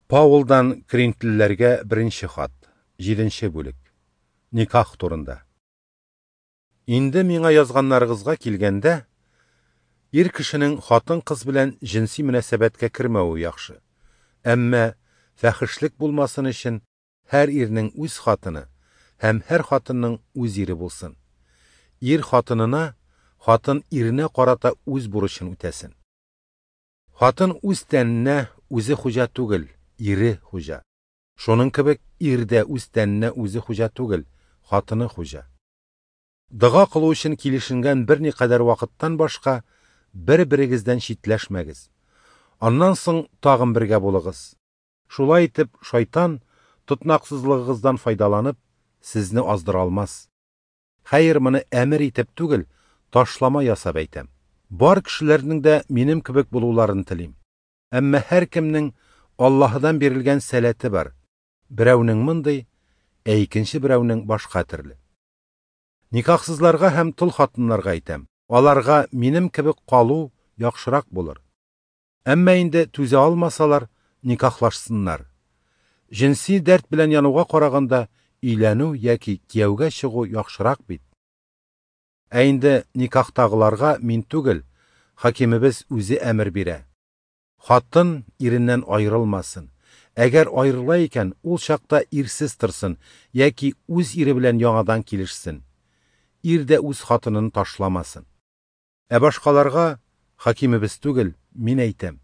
Паулдан Коринфлеләргә беренче хат, 7 бүлек. Никах турында. Инде миңа язганнарыгызга килгәндә, ир кешенең хатын-кыз белән җенси мөнәсәбәткә кермәве яхшы. Әмма фәхешлек булмасын өчен һәр ирнең үз хатыны һәм һәр хатынның үз ире булсын. Ир хатынына, хатын иренә карата үз бурычын үтәсен. Хатын үз тәненә үзе хуҗа түгел, ире хуҗа. Шуның кебек ир дә үз тәненә үзе хуҗа түгел, хатыны хуҗа. Дога кылу өчен килешенгән берникадәр вакыттан башка бер-берегездән читләшмәгез. Аннан соң тагын бергә булыгыз. Шулай итеп, шайтан тотнаксызлыгыгыздан файдаланып, сезне аздыра алмас. Хәер, моны әмер итеп түгел, ташлама ясап әйтәм. Бар кешеләрнең дә минем кебек булуларын телим. Әмма һәркемнең Аллаһыдан бирелгән сәләте бар. Берәүнең мондый, ә икенче берәүнең башка төрле. Никахсызларга һәм тол хатыннарга әйтәм: аларга минем кебек калу яхшырак булыр. Әмма инде түзә алмасалар, никахлашсыннар. Җенси дәрт белән януга караганда өйләнү яки кияүгә чыгу яхшырак бит. Ә инде никахтагыларга мин түгел, хакимебез үзе әмер бирә. Хатын иреннән аерылмасын. Әгәр аерыла икән, ул чакта ирсез торсын яки үз ире белән яңадан килешсен. Ир дә үз хатынын ташламасын. Ә башкаларга хакимебез түгел, мин әйтәм.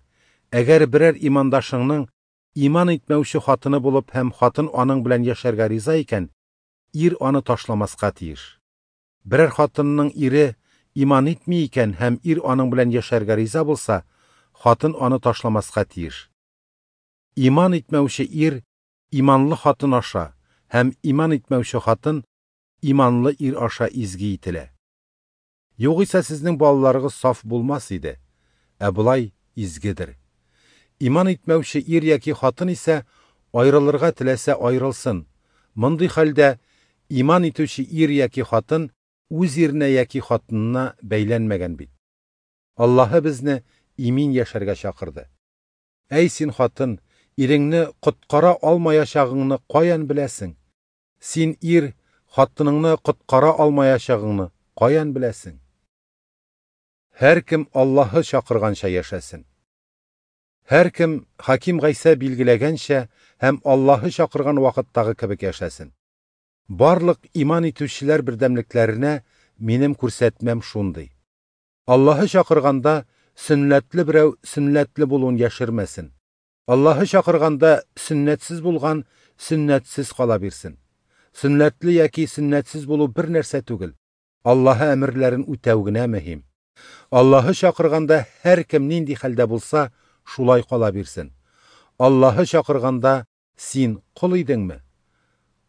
Әгәр берәр имандашыңның иман итмәүче хатыны булып һәм хатын аның белән яшәргә риза икән, ир аны ташламаска тиеш. Берәр хатынның ире иман итми икән һәм ир аның белән яшәргә риза булса, хатын аны ташламаска тиеш. Иман итмәүче ир иманлы хатын аша һәм иман итмәүче хатын иманлы ир аша изге ителә. Югыйсә сезнең балаларыгыз саф булмас иде, ә болай изгедер. Иман итмәүче ир яки хатын исә аерылырга теләсә аерылсын. Мондый хәлдә иман итүче ир яки хатын үз иренә яки хатынына бәйләнмәгән бит. Аллаһы безне имин яшәргә чакырды. Әй син хатын, иреңне коткара алмаячагыңны каян беләсең? Син ир, хатыныңны коткара алмаячагыңны каян беләсең? Һәркем Аллаһы чакырганча яшәсен. Һәркем Хаким Гайсә билгеләгәнчә һәм Аллаһы чакырган вакыттагы кебек яшәсен. Барлык иман итүчеләр бердәмлекләренә минем күрсәтмәм шундый. Аллаһы чакырганда сөннәтле берәү сөннәтле булуын яшермәсен. Аллаһы чакырганда сөннәтсез булган сөннәтсез кала бирсен. Сөннәтле яки сөннәтсез булу бер нәрсә түгел. Аллаһы әмерләрен үтәү генә мөһим. Аллаһы чакырганда һәркем нинди хәлдә булса, шулай кала бирсен. Аллаһы чакырганда син кол идеңме?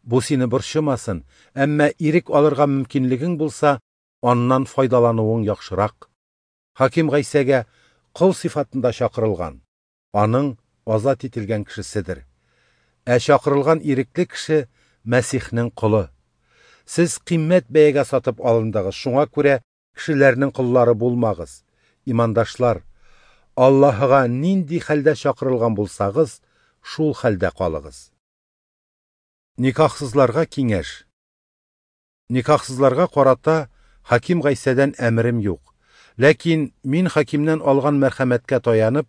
Бу сине борчымасын, әмма ирек алырга мөмкинлегең булса, аннан файдалануың яхшырак. Хаким Гайсәгә кол сыйфатында чакырылган, аның азат ителгән кешеседер. Ә чакырылган ирекле кеше Мәсихнең колы. Сез кыйммәт бәягә сатып алындыгыз, шуңа күрә кешеләрнең коллары булмагыз. Имандашлар, Аллаһыга нинди хәлдә чакырылган булсагыз, шул хәлдә калыгыз. Никахсызларга киңәш. Никахсызларга карата Хаким Гайсәдән әмерем юк. Ләкин мин хакимнән алган мәрхәмәткә таянып,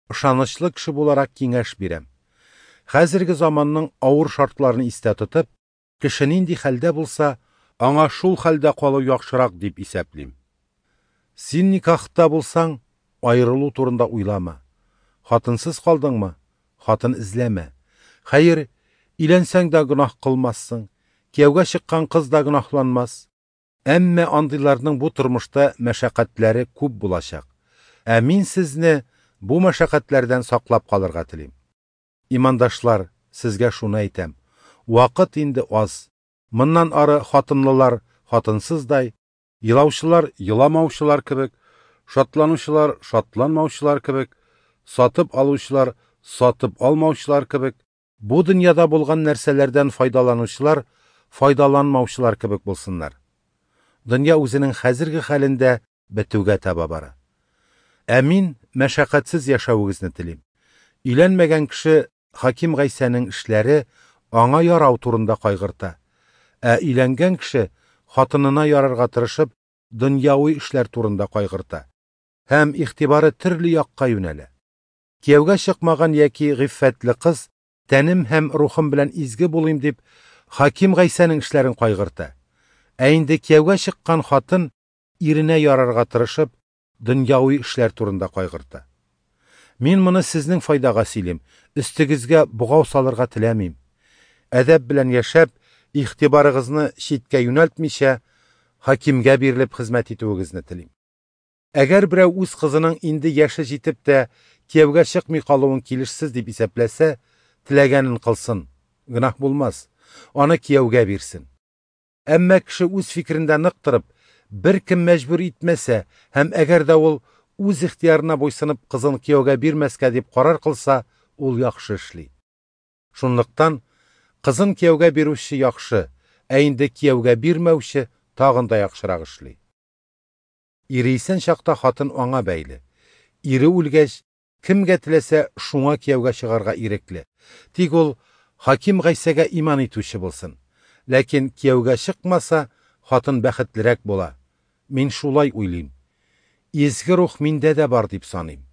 ышанычлы кеше буларак киңәш бирәм. Хәзерге заманның авыр шартларын истә тотып, кеше нинди хәлдә булса, аңа шул хәлдә калу яхшырак дип исәплим. Син никахта булсаң, аерылу турында уйлама. Хатынсыз калдыңмы? Хатын эзләмә. Хәер, өйләнсәң дә гөнаһ кылмассың, кияүгә чыккан кыз да гөнаһланмас. Әмма андыйларның бу тормышта мәшәкатьләре күп булачак. Ә мин сезне бу мәшәкатьләрдән саклап калырга телим. Имандашлар, сезгә шуны әйтәм: вакыт инде аз. Моннан ары хатынлылар хатынсыздай, елаучылар еламаучылар кебек, шатланучылар шатланмаучылар кебек, сатып алучылар сатып алмаучылар кебек, бу дөньяда булган нәрсәләрдән файдаланучылар файдаланмаучылар кебек булсыннар. Дөнья үзенең хәзерге хәлендә бетүгә таба бара. Ә мин мәшәкатьсез яшәвегезне телим. Өйләнмәгән кеше Хаким Гайсәнең эшләре, аңа ярау турында кайгырта. Ә өйләнгән кеше хатынына ярарга тырышып, дөньяви эшләр турында кайгырта. Һәм игътибары төрле якка юнәлә. Кияүгә чыкмаган яки гыйффәтле кыз, тәнем һәм рухым белән изге булыйм дип, Хаким Гайсәнең эшләрен кайгырта. Ә инде кияүгә чыккан хатын иренә ярарга тырышып, дөньяви эшләр турында кайгырта. Мин моны сезнең файдага сөйлим, өстегезгә богау салырга теләмим. Әдәп белән яшәп, игътибарыгызны читкә юнәлтмичә, хакимгә бирелеп хезмәт итүегезне телим. Әгәр берәү үз кызының инде яше җитеп тә кияүгә чыкмый калуын килешсез дип исәпләсә, теләгәнен кылсын, гөнаһ булмас, аны кияүгә бирсен. Әмма кеше үз фикерендә нык торып, беркем мәҗбүр итмәсә һәм әгәр дә ул үз ихтыярына буйсынып кызын кияүгә бирмәскә дип карар кылса, ул яхшы эшли. Шунлыктан кызын кияүгә бирүче яхшы, ә инде кияүгә бирмәүче тагын да яхшырак эшли. Ире исән чакта хатын аңа бәйле. Ире үлгәч, кемгә теләсә шуңа кияүгә чыгарга ирекле. Тик ул Хаким Гайсәгә иман итүче булсын. Ләкин кияүгә чыкмаса, хатын бәхетлерәк була. Мин шулай уйлыйм. Изге рух миндә дә бар дип саныйм.